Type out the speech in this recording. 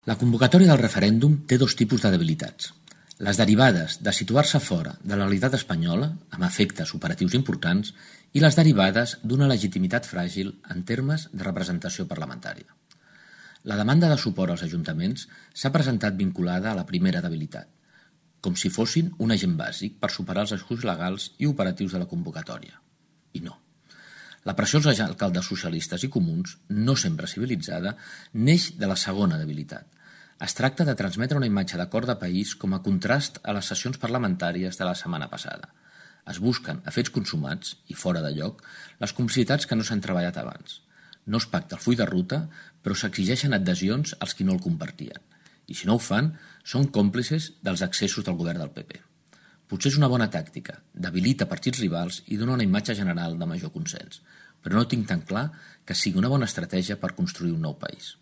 La convocatòria del referèndum té dos tipus de debilitats: les derivades de situar-se fora de la realitat espanyola, amb efectes operatius importants, i les derivades d'una legitimitat fràgil en termes de representació parlamentària. La demanda de suport als ajuntaments s'ha presentat vinculada a la primera debilitat, com si fossin un agent bàsic per superar els esculls legals i operatius de la convocatòria. I no. La pressió als alcaldes socialistes i comuns, no sempre civilitzada, neix de la segona debilitat. Es tracta de transmetre una imatge d'acord de país com a contrast a les sessions parlamentàries de la setmana passada. Es busquen, a fets consumats i fora de lloc, les complicitats que no s'han treballat abans. No es pacta el full de ruta, però s'exigeixen adhesions als qui no el compartien. I si no ho fan, són còmplices dels excessos del govern del PP. Potser és una bona tàctica, debilita partits rivals i dona una imatge general de major consens, però no tinc tan clar que sigui una bona estratègia per construir un nou país.